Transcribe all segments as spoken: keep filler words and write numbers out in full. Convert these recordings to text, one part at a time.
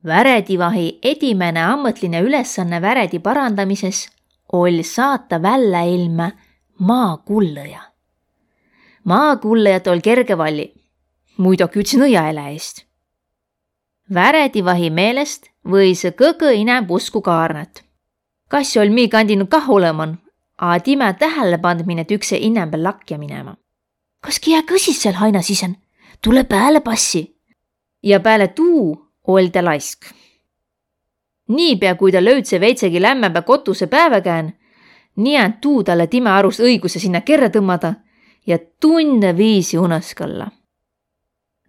Väredivahi edimäne ammõtline ülesanne väredi parandamises oll' saata välläilmä maakullõja. Maakullõjat oll' kerge valli, muidoki üldse nõiaeläjist. Väredivahi meelest võisõ kõgõ inämb usku Kaarnat. Kassi oll' mii kandin kah olõman, a timä tählepandminõ tükse inämbä lakja minema. Kaski jää kõsis sääl haina sisän, tulõ pääle passi. Ja pääle tuu oll' tä laisk. Niipea kui tä löüdse veidsägi lämmämbä kotuse pääväkään, nii tuu talle timä arust õiguse sinnä kerrä tõmmada ja tunnõ viisi unasgalla.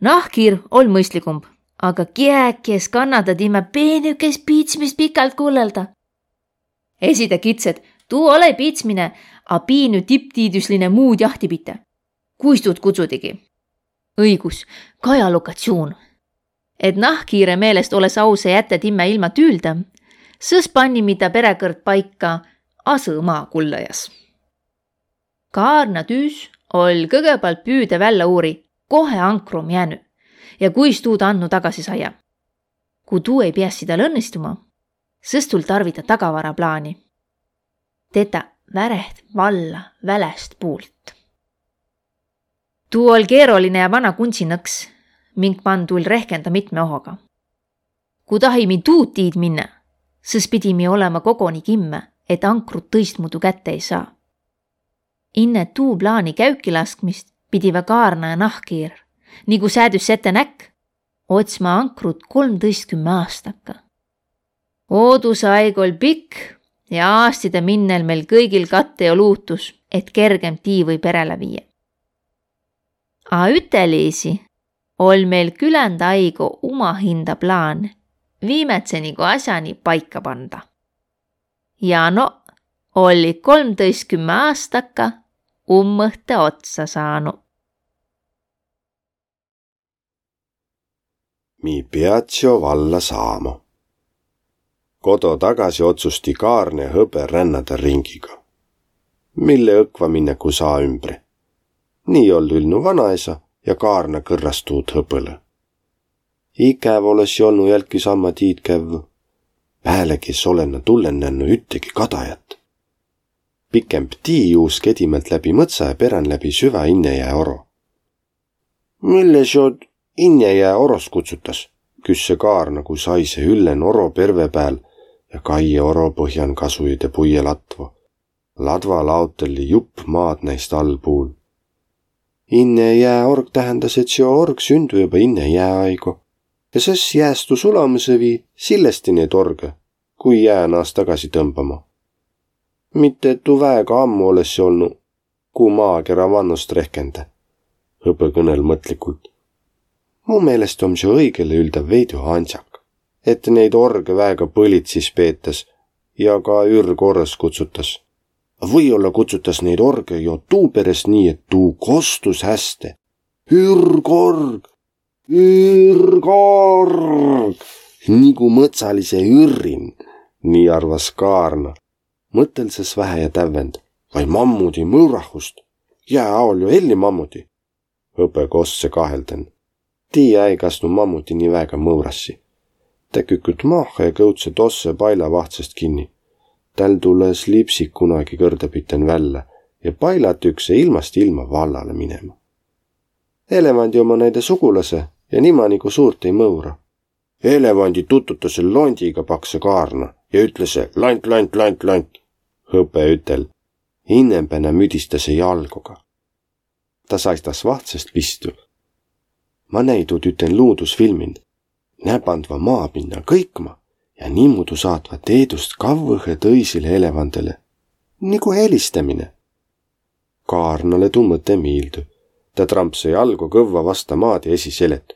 Nahkhiir oll' mõistligumb, aga kiäki es kannada timä peenükest piitsmist pikalt kullõlda. Esi tä kits, et tuu olõ-i piitsmine, a piinü tipptiidüsline muud jahti pite. Kuis tuud kutsudigi? Õigus, kaja lokatsioon. Et nahkhiire meelest olõ-s aus jättä timmä ilma tüüldä, sõs pannimi tä peräkõrd paika asõ maakullõjas. Kaarna tüüs oll' kõgõpalt püüdä vällä uuri, kohe ankru om jäänü ja kuis tuud andnu tagasi saia. Ku tuu ei piässi tal õnnistuma, sõs tull' tarvita tagavaraplaani. Tetä väreht valla välästpuult. Tuu oll' keeroline ja vana kundsinõks, mink man tull' rehkenda mitme ohoga. Ku tahimi tuud tiid minnä, sõs pidimi olema kogoni kimmä, et ankrut tõistmuudu kätte ei saa. Inne tuu plaani käükilaskmist pidivä Kaarna ja nahkhiir, nigu säädüs ette näkk, otsma ankrut kolmtõistkümme aastakka. Oodusaig oll' pikk ja aastide minnel meil kõigil kattõ jo luutus, et kergemb tii või peräle viiä. A üteliisi oll' meil küländ aigo umahinda plaan viimädse nigu asjani paika panda. Ja no, olli kolmtõistkümme aastakka ummõhtõ otsa saanu. Mi piatssi jo valla saama. Kodo tagasi otsusti Kaarne hõbe rännada ringiga. Mille õkva minnä ku saa ümbre. Nii oll' ülnu vanaesä ja Kaarna kõrras tuud hõbõlõ. Ikäv olõssi olnu jälki samma tiid kävvü. Päälegi es olõ na tullen nännu üttegi kadajat. Pikemb tii juusk edimält läbi mõtsa ja perän läbi süvä Innejää oro. Mille siod Innejää oros kutsutas? Küsse Kaarna, ku saise üllen oro perve pääl ja kaie oro põhjan kasujide puie latvo. Ladva laotelli jupp maad näist all puul. Innejää org tähendäs, et seo org sündü joba inne jääaigo. Ja sõs jäästu sulamisõ vii sillesti neid orgõ, kui jää naas tagasi tõmbama. Mitte et tuu väega ammu olõssi olnu, ku maa kera vannost rehkendä, hõbõ kõnõl mõtlikult. Mu meelest om seo õigele üldä veidü ansjak, et neid orgõ väega põlitsis peetäs ja ka ürg orõs kutsutas. Või-olla kutsutas neid orgõ jo tuuperäst nii, et tuu kostus häste. Ürg org! Ürg org! Nigu mõtsalise ürrin, nii arvas Kaarna. Mõttõl sõs vähä ja tävvend: Vai mammudi mõurahust? Jää aol jo elli mammudi. Hõbõ kostsõ kahelden. Tii äi kasnu mammuti nii väega mõurassi. Tä küküt mahha ja kõudsõ tossõ paila vahtsõst kinni. Täl tulõ slipsik kunagi kõrdapiten vällä ja pailat ükse ilmast ilma vallalõ minema. Elevandi oma näide sugulasõ ja nima nigu suurt ei mõura. Elevandi tututasõ londiga, paksõ Kaarna ja ütlesõ: Lant, lant, lant, lant! Hõbe ütel: Innembänä müdistasõ jalgoga. Ta saistas vahtsõst pistü. Ma näi tuud üten luudusfilmin. Nä pandva maa pinna kõikma ja niimuudu saatva teedust kavvõhe tõisile elevandele. Nigu helistämine. Kaarnale tuu mõte miildü. Tä trampsõ jalgo kõvva vasta maad ja esi selet: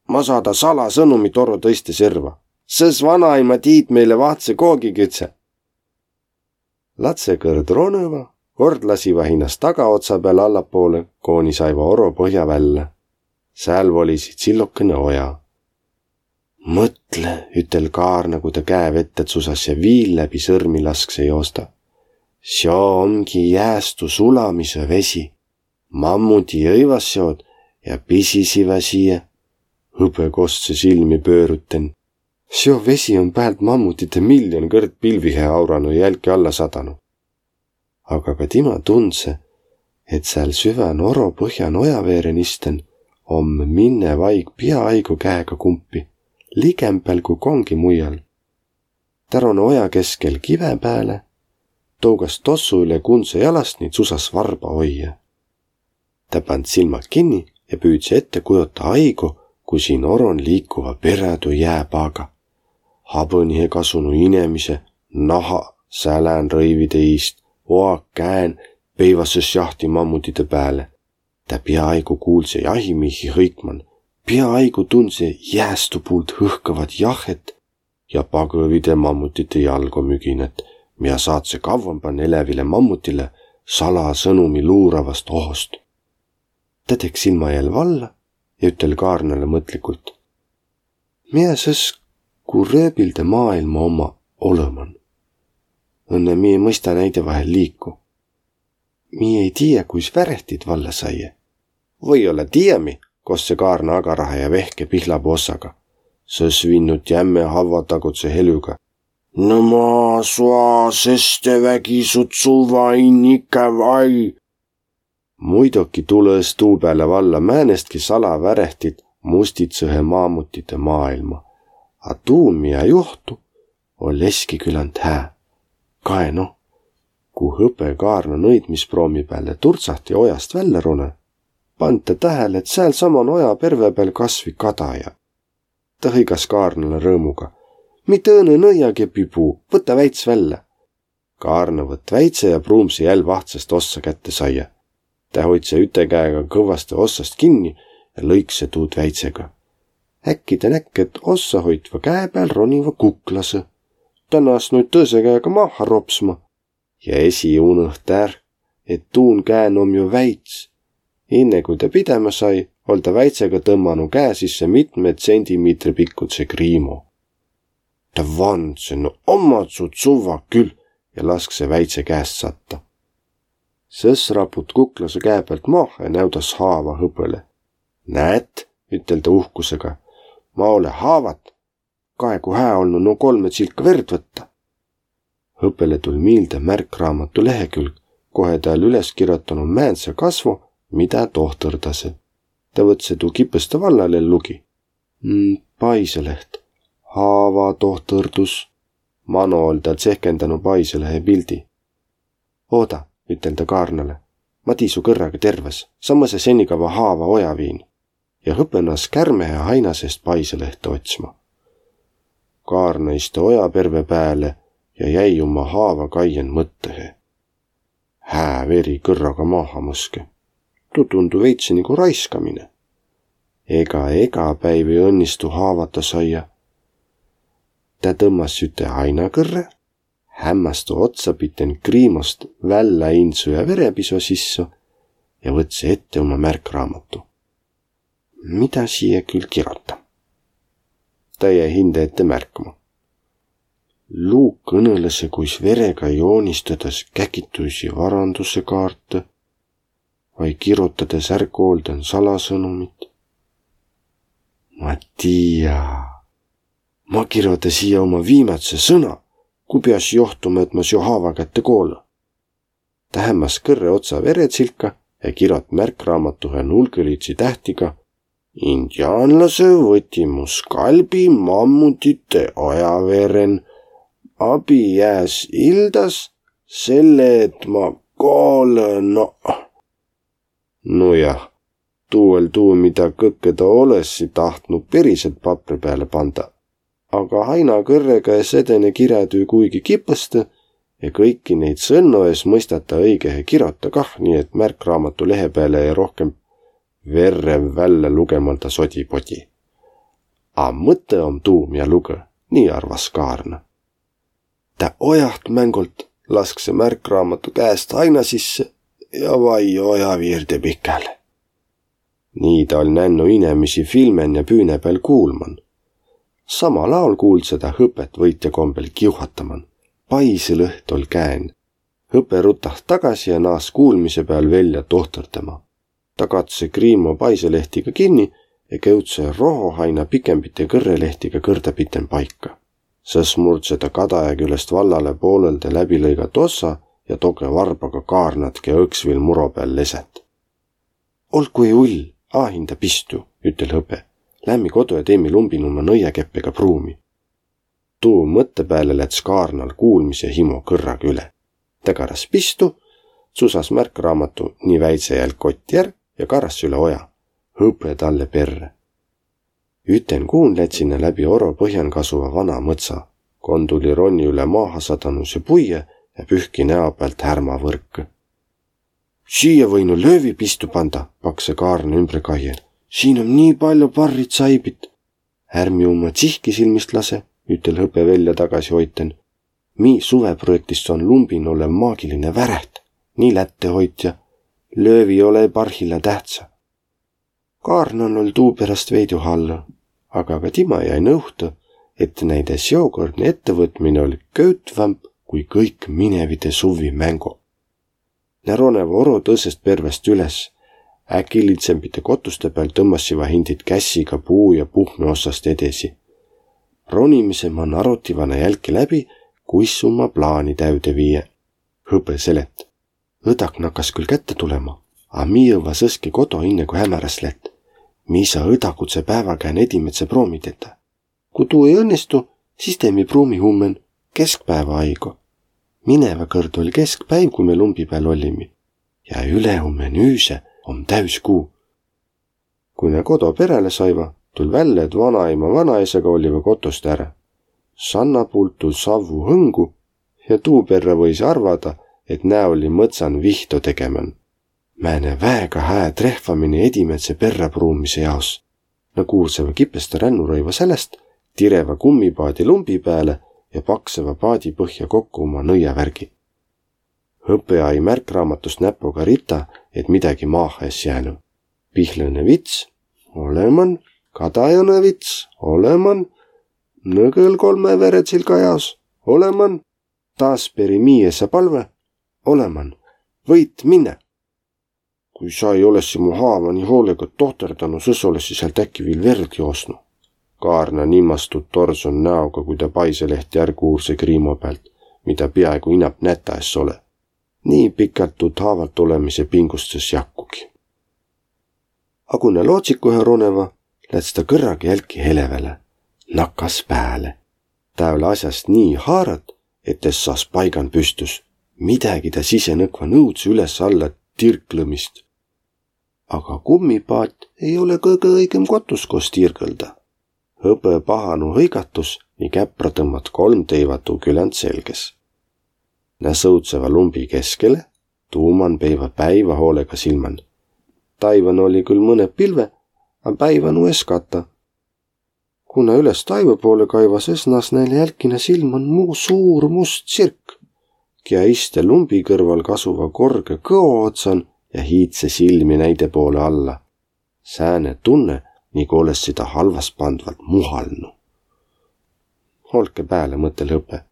Ma saada salasõnumi torro tõiste serva. Sõs vanaima tiid meile vahtsõ koogigidse. Latsõ kõrd ronõva, kord lasiva hinnast tagaotsa peal allapoolõ, kooni saiva oro põhja vällä. Sääl volisi tsillokõnõ oja. Mõtle, ütel Kaarna, ku ta käe vette tsusas ja viil läbi sõrmi lasksõ joosta. Seo omgi jäästu sulamisõ vesi. Mammudi jõivas seod ja pisisivä siia. Hõbe kostsõ silmi pöörüten. Seo vesi om päält mammutite miljon kõrd pilvihe auranu ja jälki alla sadanu. Aga ka tima tundse, et sääl süvän oro põhjan ojaveeren isten om minnev aig piaaigu käega kumpi, ligembäl ku kongi muial. Tä ron oja keskel kive pääle, tougas tossu üle kundse jalast ni tsusas varba oije. Tä pand silmad kinni ja püüdse ette kujota aigu, ku siin oron liikuva perädu jääpaaga. Habõnihe kasunu inemise, naha sälän rõivide iist, oa käen, peivasõ šahti mammutide pääle. Tä piaaigu kuulse jahimiihi hõikman, piaaigu tundse jäästu puult hõhkõvat jahet ja pagõvide mammutite jalgo müginät, mia saatse kavvamban elävile mammutile salasõnumi luuravast ohost. Tä tekk silma jälv valla ja ütel Kaarnale mõtlikult: Mia sõs, ku rööbilde maailma omma olõman? Õnne mi ei mõista näide vahel liiku. Mi ei tiiä, kuis värehtit valla saie. Või-olla tiiämi, kossse Kaarna agarahe ja vehke pihlapuu ossaga. Sõs vinnut jämme havvatagudse helüga: No ma sua seste vägi su tsuva in ikä vai. Muidoki tulõ-s tuu pääle valla määnestki salavärehtit mustitsõhe maamutite maailma. A tuu, mia juhtu, oll' eski küländ hää. Kae noh, ku hõpe Kaarna nõidmisproomi pääle turtsahti ojast vällä runõ, pand tä tähele, et sääl saman oja perve pääl kasvi kadaja. Tä hõigas Kaarnale rõõmuga: Mi tõõnõ nõiagepi puu, võta väits vällä. Kaarna võtt väidse ja pruumse jälv vahtsast ossa kätte saia. Tä hoidse üte käega kõvvaste ossast kinni ja lõikse tuud väidsega. Äkki tä näkk, et ossahoitva käe pääl roniva kuklasõ. Tä naas' nuid tõõse käega mahha ropsma. Ja esi unõht är, et tuun käen om jo väits. Inne kui tä pidämä sai, oll' tä väidsega tõmmanu käe sisse mitme tsendimiitre pikkudse kriimo. Tä vandse: No omma su tsuva kül! Ja laskse väidse käest satta. Sõs raput kuklasõ käe päält mahha ja näüdas haava hõpõle. Näet, ütel tä uhkusega, ma ole haavat. Kae, ku hää olnu no kolme tsilka verd võtta. Hõpele tull' miilde märkraamatu lehekülg, kohe tä oll' üles kirotanu määndse kasvo, midä tohtõrdasõ. Tä võtse tuu kipõste vallal ja lugi: Mm, paisõleht. Haavatohtõrdus. Mano oll' tä tsehkendanu paisõlehe pildi. Ooda, ütel tä Kaarnale, ma tii su kõrraga tervvas, sa mõsas senikava haava ojaviin. Ja hõpõ naas' kärmehe haina seest paisõlehte otsma. Kaarna iste oja perve pääle ja jäi uma haava kaien mõttõhe. Hää veri kõrraga maha mõske. Tuu tundu veidse nigu raiskamine. Ega, ega päiv ei õnnistu haavata saia. Tä tõmmas üte haina kõrre, hämmästu otsapiten kriimost vällä insu ja verepiso sisse ja võtsõ ette uma märkraamatu. Midä siia kül kirota? Tä jäi hindä ette märkma. Luu kõnõlõsõ, kuis verega joonistõdas käkituisi varandusõ kaartõ vai kirotades ärgoldan salasõnumit. Ma tiiä. Ma kiroda siia uma viimädse sõna, ku pias johtuma, et ma seo haava kätte koolõ. Tä hämmäs kõrre otsa veretsilka ja kirot märkraamatuhe nulgõlidsi tähtiga: Indiaanlasõ võti mu skalbi mammutite ojaveeren, abi jääs ildas, selle et ma koolõ no. Nojah, tuu oll' tuu, midä kõkkõ taa olõssi tahtnu periselt papri pääle panda. Aga haina kõrrega es edene kirätüü kuigi kipõstõ ja kõiki neid sõnno es mõistata õigehe kirota kah, nii et märkraamatu lehe pääle jäi rohkemb verrev vällä lugemanda sodi-podi. A mõttõ om tuu, mia lugõ, nii arvas Kaarna. Tä ojaht mängolt laskse märkraamatu käest haina sisse ja vai oja viirde pikäle. Nii taa oll' nännu inemisi filmen ja püüne pääl kuulman. Samal aol kuuldsõ taa hõpet võitja kombel kiuhataman. Paisõlõht oll' käen. Hõpe rutaht tagasi ja naas' kuulmise pääl velja tohtõrdama. Taa katsõ kriimo paisõlehtiga kinni ja kevdse rohohaina pikembite kõrrelehtiga kõrdapiten paika. Sõs murdse ta kadaja külest vallale poolelde läbilõigat ossa ja toge varbaga kaarnat, ke õks viil muro peal lesät. Olgu ei ull, aahinda pistu, ütel hõbe. Lämmi kodo ja teimi lumbin uma nõiakeppega pruumi. Tuu mõtte pääle läts kaarnal kuulmise himo kõrraga üle. Ta karas pistu, tsusas märkraamatu ni väidse jälk kotti är ja karas üle oja. Hõbe talle perre. Üten kuun lätsi nä läbi oro põhjan kasuva vana mõtsa. Kon tuli ronni üle maaha sadanuse puie ja pühki näo pealt härma võrkõ. Siia võinu löövi pistu panda, pakse kaarna ümbre kaie. Siin om nii paljo parrit saibit. Ärmi uma tsihki silmist lase, ütel hõbe velja tagasi hoiten. Mi suveprojektist on lumbin olev maagiline väräht, nii lätte hoitja. Löövi ole parhilla tähtsä. Kaarnan oll' tuu peräst veidü hallõ, aga ka tima jai nõuhtõ, et näide seokõrdne ettevõtmine oll' köütvämb kui kõik minevide suvvi mängo. Nä roneva oro tõsest pervest üles. Äkilidsembide kotuste peal tõmmassiva hindid kässiga puu ja puhme ossast edesi. Ronimise man arotiva nä jälki läbi, kuis uma plaani täüde viie. Hõbe selet. Õdak nakkas küll kätte tulema, a mi jõvva sõski kodo inne kui hämäräs lätt. Mi saa õdagudse päävakään edimädse proomi tetä. Ku tuu ei õnnistu, sis teemi pruumi hummen keskpäeva aigo. Minevä kõrd oll' keskpäiv, kui me lumbi pääl ollimi. Ja ülehummen üüse om täüskuu. Kui nä kodo peräle saiva, tull' vällä, et vanaima vanaisaga olliva kotost ärä. Sanna puult tull' savvu hõngu ja tuu perrä võis arvada, et nä olli mõtsan vihto tegemän. Määne väega hää trehvamine edimädse perräpruumise jaos. Nä kuurseva kipesta rännurõiva säläst, direva gummipaadi lumbi pääle ja pakseva paadi põhja kokko uma nõiavärgi. Hõbe ai märkraamatust näpoga rita, et midägi maaha es jäänü. Pihlõne vits, oleman, kadajanõ vits, oleman, nõgõl kolme veretsilga jaos, oleman, taas peri miiesa palve, oleman, võit minnä. Kui sa ei olessi mu haava nii hoolega tohterdanu, sõs olessi sealt äkki viil verd joosnu. Kaarna nimastud torson näoga, kui ta paiselehti är kuurse kriimo pealt, mida peaaegu inap nätä es ole. Nii pikalt tuud haavalt olemise pingustus jakkugi. A ku nä lootsikuhe roneva, läts ta kõrraga jälki heleväle. Nakas pääle. Tä ole asjast nii haarat, et es saas paigan püstüs. Midägi tä sise nõkva nõudse üles-alla tirklõmist. Aga gummipaat ei ole kõgõ õigõm kotus, kos tiirgõlda. Hõbõ pahanu hõigatus ni käpra tõmmat kolm teiva tuu küländ selges. Nä sõudseva lumbi keskele, tuuman peiva päiva hoolega silmän. Taivan oli küll mõned pilve, a päiva nu es kata. Ku nä üles taiva poole kaiva, sõs naas näil jälki nä silmän mu suur must tsirk, kiä iste lumbi kõrval kasuva korge kõo otsan ja hiidse silmi näide poole alla. Sääne tunne, nigu olessi ta halvaspandvalt muhalnu. Olke pääle, mõtel hõbe,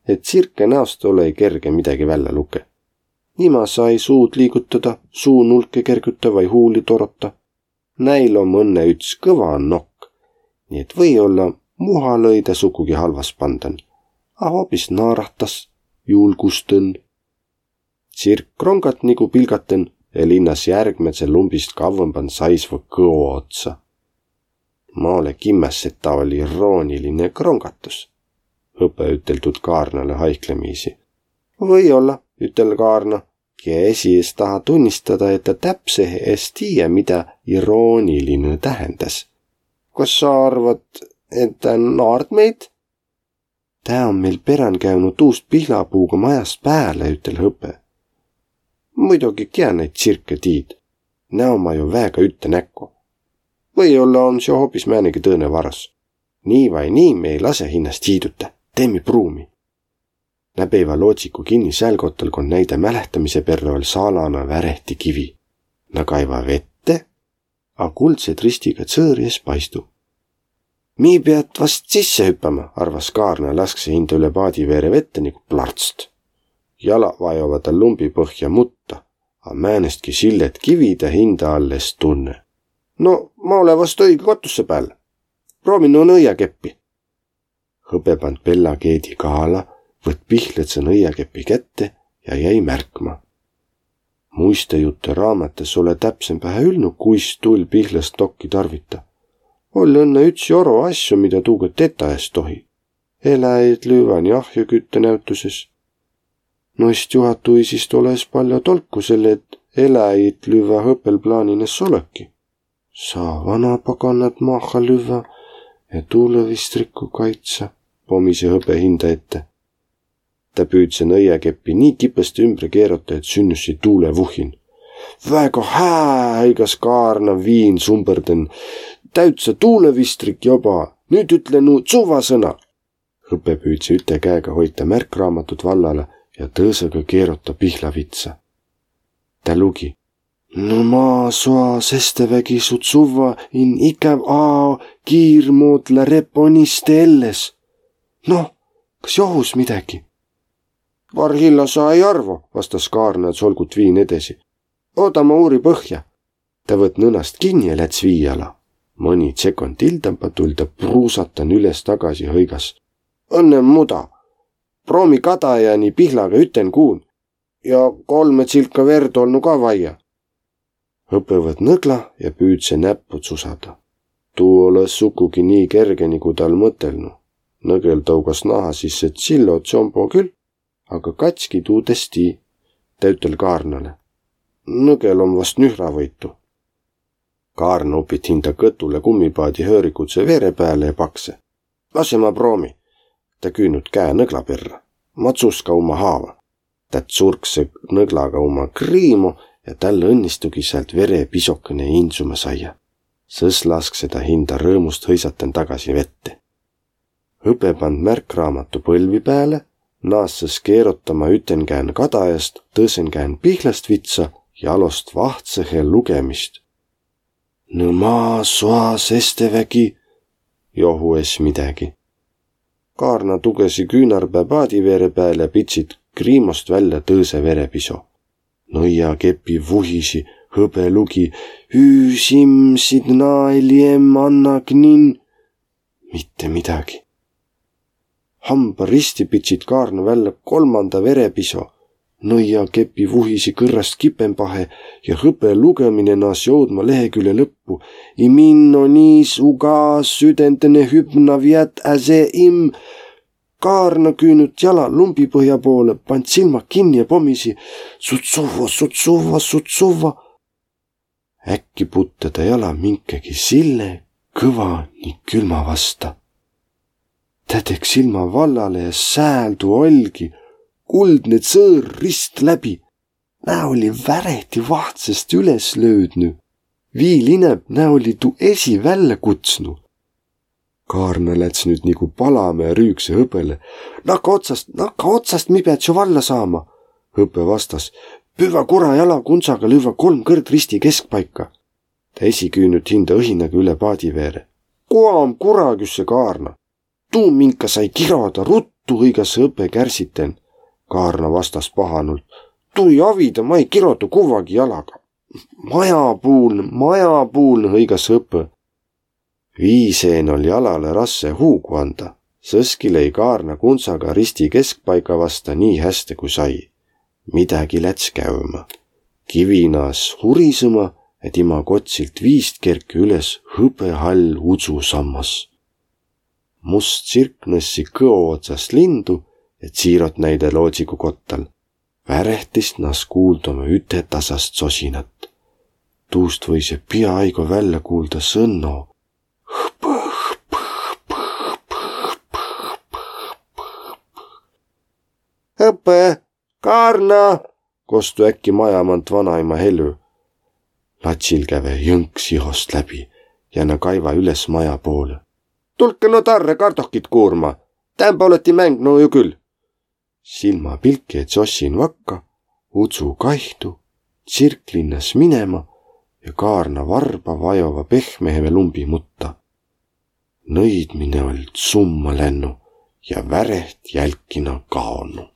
et tsirke näost ole kerge midägi vällä luke. Nima saa ei suud liigutada, suu nulke kerguta vai huuli torota. Näil om õnne üts kõva nokk, nii et või-olla muhalõ-i tä sukugi halvaspandan, a hoobis naarahtas, julgustõn. Tsirk krongat nigu pilgatõn ja linnas järgmädse lumbist kavvõmban saisva kõo otsa. Ma ole kimmäs, et ta oli irooniline krongatus, hõbe ütel tuud Kaarnale haihklemiisi. Või olla, ütel Kaarna, kiä esi es taha tunnistada, et ta täpsehe es tiiä, midä irooniline tähendäs. Kas sa arvat, et tä naard meid? Tä om meil perän käünü tuust pihlapuuga majast pääle, ütel hõbe. Muidogi, kiä naid tsirke tiid? Nä omma jo väega ütte näkko. Või-olla om seo hoopis määnegi tõõne varas. Nii vai nii, me ei lase hinnast hiiduta. Teemi pruumi. Nä peiva lootsiku kinni sääl kottal, kon näide mälehtämise perrä oll' saalana värehti kivi. Nä kaiva vette, a kuldset ristiga tsõõri es paistu. Mii piät vast sisse hüppämä, arvas Kaarna, laskse hindä üle paadi veere vette nigu plartst. Jala vajova tal lumbi põhja mutta, a määnestki sillet kivi tä hinda all es tunne. No, ma ole vast õige kotusse pääl. Proomi nu nõiakeppi. Hõbe pand pella keedi kaala, võtt pihlõdse nõiakepi kätte ja jäi märkma. Muistajutte raamatas ole täpsembähe ülnu, kuis tull pihlast dokki tarvita. Oll õnne üts joro asju, mida tuuga tetä es tohi. Eläjit lüvvä ni ahjukütte näütüses. Noist juhatuisist ole es paljo tolku, selle et eläjit lüvvä hõbel plaanin es oleki. Saa vana paganat mahha lüvvä ja tuulõvistriku kaitsa, pomisi hõbe hinda ette. Tä püüdse nõiakeppi nii kipõst ümbre keerota, et sünnüssi tuulevuhin. Väega hää, hõigas Kaarna viin sumbõrden. Täütsä tuulevistrik joba. Nüüt ütle nu tsuvvasõna. Hõbe püüdse üte käega hoita märkraamatut vallale ja tõõsõga keerota pihlavitsa. Tä lugi: No ma soa sestevägi su tsuvva in ikäv ao kiirmodla reponiste elles. No, kas johus midägi? Varhilla sa ei arvo, vastas Kaarna ja tsolgut viin edesi. Ooda, ma uuri põhja. Tä võtt nõnast kinni ja läts vii ala. Mõni tsekond tildamba tull tä pruusatan üles tagasi, hõigas: Õnne muda. Proomi kadaja ni pihlaga üten kuun. Ja kolme tsilka verd olnu ka vaia. Hõbe võtt nõgla ja püüdse näppu tsusada. Tuu olõ sukugi nii kerge, nigu tal mõtelnu. Nõgel tougas naha sisse tsillo tsombo kül, aga katski tuud es tii. Tä ütel Kaarnale: Nõgel om vast nühravõitu. Kaarna upit hinda kõtule kummipaadi höörikutse vere pääle ja pakse: Lase ma proomi. Tä küünüt käe nõgla perra. Ma tsuska uma haava. Tä tsurkse nõglaga uma kriimo ja tal õnnistugi säält vere pisokene indsuma saia. Sõs laskse tä hinda rõõmust hõisaten tagasi vette. Hõbe pand märkraamatu põlvi pääle, naassõs keerotama üten käen kadajast, tõsõn käen pihlastvitsa ja alost vahtsõhe lugemist. Nõ ma soa sestevägi, johu es midägi. Kaarna tugesi küünarpää paadi veere pääle ja pitsit kriimost vällä tõõse verepiso. Nõiakepi vuhisi, hõbe lugi: Üüs im sid naeli em anna knin. Mitte midägi. Hamba risti pitsit Kaarna vällä kolmanda verepiso. Nõiakepi vuhisi kõrrast kipembahe ja hõbe lugõmine naas joudma lehekülje lõppu. Iminno niis uga südentene hübna viät äse im. Kaarna küünüt jala lumbipõhja poole, pand silmad kinni ja pomisi: Sutsuvva, sutsuvva, sutsuvva. Äkki putte tä jala minkegi sille, kõva ni külma vasta. Tä tekk silma vallale ja sääl tuu oll'gi, kuldne tsõõr rist läbi. Nä olli värehti vahtsest üles löüdnü. Viil inäb, nä olli tuu esi vällä kutsnu. Kaarna läts nüüt nigu palame ja rüükse hõbele: Nakka otsast, nakka otsast, mi piät su valla saama! Hõbe vastas: Püvvä kura jala kundsaga, lüvvä kolm kõrd risti keskpaika. Tä esi küünüt hinda õhinaga üle paadi veere. Kua om kura, küsse Kaarna. Tuu, minka sai kiroda, ruttu hõigas hõbe kärsiten. Kaarna vastas pahanult: Tuu ei avida, ma ei kiroda kuvvagi jalaga. Majapuuln, majapuuln, hõigas hõbe. Vii seen oll' jalalõ rasse huugu anda, sõski lei Kaarna kundsaga risti keskpaiga vasta nii häste kui sai. Midägi läts käüma. Kivi naas hurisõma ja tima kotsilt viist kerkü üles hõbehall udsusammas. Must tsirk nõssi kõo otsast lindu ja tsiirot näide loodsigu kottal. Värehtist naas kuuldama ütetasast sosinat. Tuust võise piaaigo vällä kuulda sõnno: Hõbe, Kaarna! Kostu äkki maja mant vanaima helü. Latsil käve jõnks ihost läbi ja na kaiva üles maja poolõ. Tulkõ no tarrõ kardohkit kuurma! Täämbä olõti mängnü ju kül. Silma pilki ja tsossin vakka, udsu kaihtu, tsirk linnas minema ja Kaarna varba vajova pehmehe lumbi mutta. Nõidmine oll' tsumma lännu ja väreht jälkina kaonu.